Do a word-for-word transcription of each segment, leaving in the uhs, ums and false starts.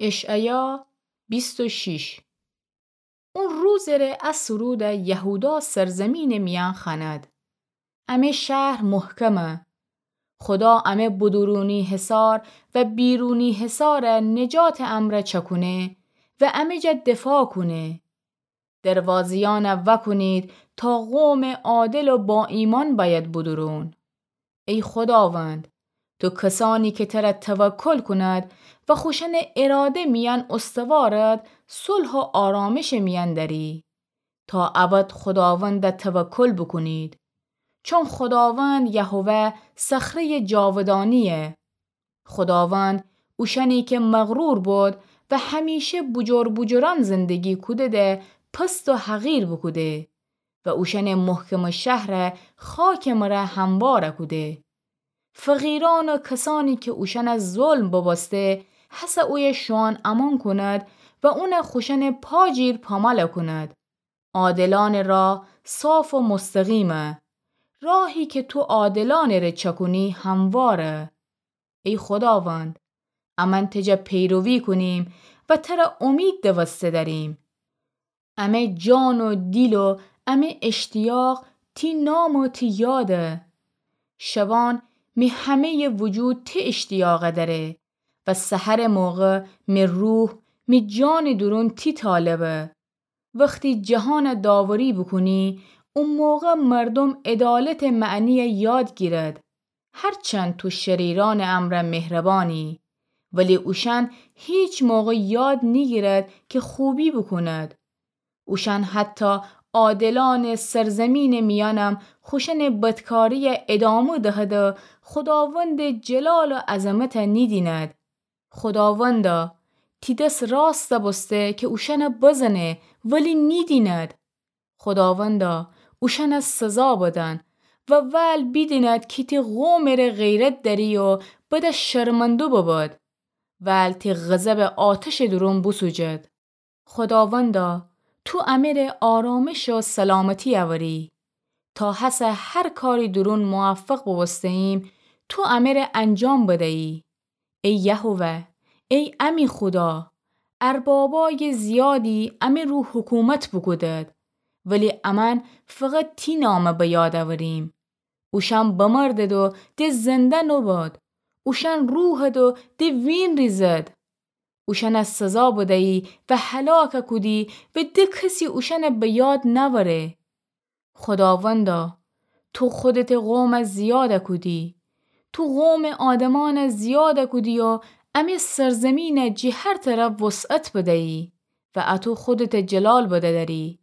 اشعیا بیست و شش. او روزٚ ره ا سرودَ یهودا سرزمینٚ میأن خوأند. امه شهر محکمه. خودا امه بدورونی حصار و بیرونی حصارَ نجاتٚ امرأ چأکونه و امه جا دفاع کونه. دروازه‌یأنَ وأکونید تا قومٚ عادل و با ایمأن بأید بدورون. ای خوداوند، تو کسأنی که تره توکل کونید و خوشأنٚ اراده میأن استوارید، صلح و آرامشٚ میأن دأری. تا ابد خوداوندَ توکل بوکونید. چون خوداوند یهوه صخره‌یٚ جاودانی‌یه. خوداوند اوشأنی که مغرور بود و همیشه بوجور بوجورأن زندگی کوده‌ده پست و حقیر بوکوده و اوشأنٚ محکمٚ شهرَ خاکٚ مره هموار کوده. فقیرأن و کسأنی که اوشأنَ ظلم ببوسته، هسه اویه شوئان امأن کونید و اونَ خوشأنٚ پا جیر پامال کونید. عادلأنٚ راه صاف و مستقیمه. راهی که تو عادلأنٚ ره چأکونی همواره. ای خوداوند، امأن تی جا پیروی کونیم و تره امید دوسته دأریم. امه جان و دیل و امه اشتیاق تی نام و تی یاده. شبان می همه‌یٚ وجود تی اشتیاقَ دأره و سحرٚ موقع می روح، می جانٚ دورون تی طالبه. وختی جهانَ داوری بوکونی، او موقع مردوم عدالتٚ معنیَ یاد گیرد. هرچند تو شریرأنٚ امرأ مهربانی، ولی اوشأن هیچ موقع یاد نیگیرد که خوبی بوکوند. اوشأن حتی عادلأنٚ سرزمینٚ میأنم خوشأنٚ بدکاریَ ادامه دهد و خوداوندٚ جلال و عظمتَ نیدیند. خوداوندا، تی دس راستَ بوسته که اوشأنَ بزنه، ولی نیدیند. خوداوندا، اوشأنَ سزا بدن و ول بیدیند که تی قومٚ ره غیرت دأری و بده شرمنده ببد. ول تی غضبٚ آتشٚ دورون بوسوجد. خوداوندا، تو امه ره آرامش و سلامتی اوری. تا هسه هر کاری دورون موفق بوبوسته‌ییم، تو امه ره انجام بده‌یی. ای یهوه، ای امی خودا، اربابای زیادی امی رو حکومت بوکودد، ولی امأن فقط تی نامَ به یاد اوریم. اوشأن بمردد و ده زنده نوبد. اوشأن روحد و ده وین ریزد. اوشأنَ سزا بدیی و هلاک کودی و ده کسی اوشأنَ به یاد نأوره. خوداوندا، تو خودتٚ قومَ زیاد کودی. تو قومٚ آدمأنَ زیاد کودی و امی سرزمینَ جٚه هر طرف وسعت بدیی و اطو خودتٚ جلال بدأری.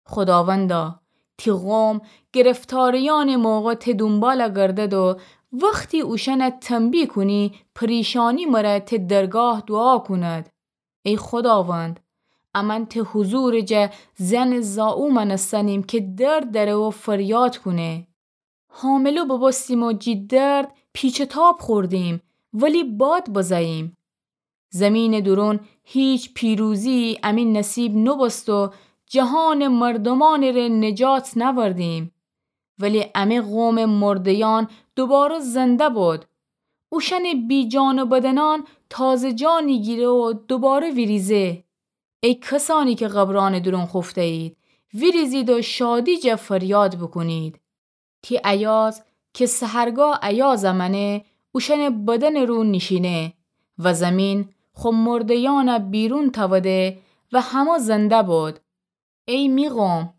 خوداوندا، تی قوم گرفتاریأنٚ موقع تی دونبال گردد و وختی اوشأنَ تنبیه کونی، پریشانی مره تی درگاه دوعا کونید. ای خوداوند، امأن تی حضورٚ جا زنٚ زائو مأنستنیم که درد دأره و فریاد کونه. حامله بوبوستیم و جٚه درد پیچ و تاب خوردیم، ولی باد بزه‌ییم. زیمینٚ دورون هیچ پیروزی‌یی امی نصیب نوبوست و جهانٚ مردومأنٚ ره نجات نأوردیم. ولی امی قومٚ مرده‌یأن دوباره زنده بود. اوشأنٚ بی‌جان و بدنأن تازه جانی گیره و دوباره ویریزه. ای کسأنی که قبرأنٚ دورون خوفته‌یید، ویریزید و شادی جا فریاد بوکونید. تی ایاز که سحرگاه ایازَ مأنه، اوشأنٚ بدنٚ رو نیشینه و زیمین خو مرده‌یأنَ بیرون تأوده و همه زنده بود. ای می قوم،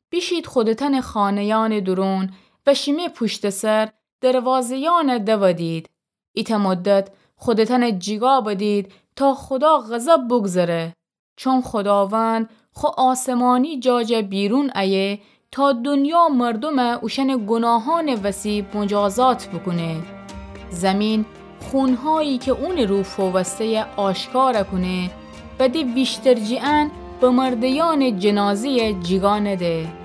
بیشید خودتأنٚ خانه‌یأنٚ دورون و شیمه پوشتٚ سر دروازه‌یأنَ دودید. ایتأ مدت خودتأنَ جیگا بدید تا خودا غضب بوگذره. چون خوداوند خو آسمانی جا جا بیرون ایه تا دونیا مردومَ اوشأنٚ گوناهأنٚ وسی مجازات بوکونه. زیمین خونهایی که اونٚ رو فووسته‌یه آشکار کونه و ده ویشترجی‌یأن بمرده‌یأنٚ جنازه‌یَ جیگا نده.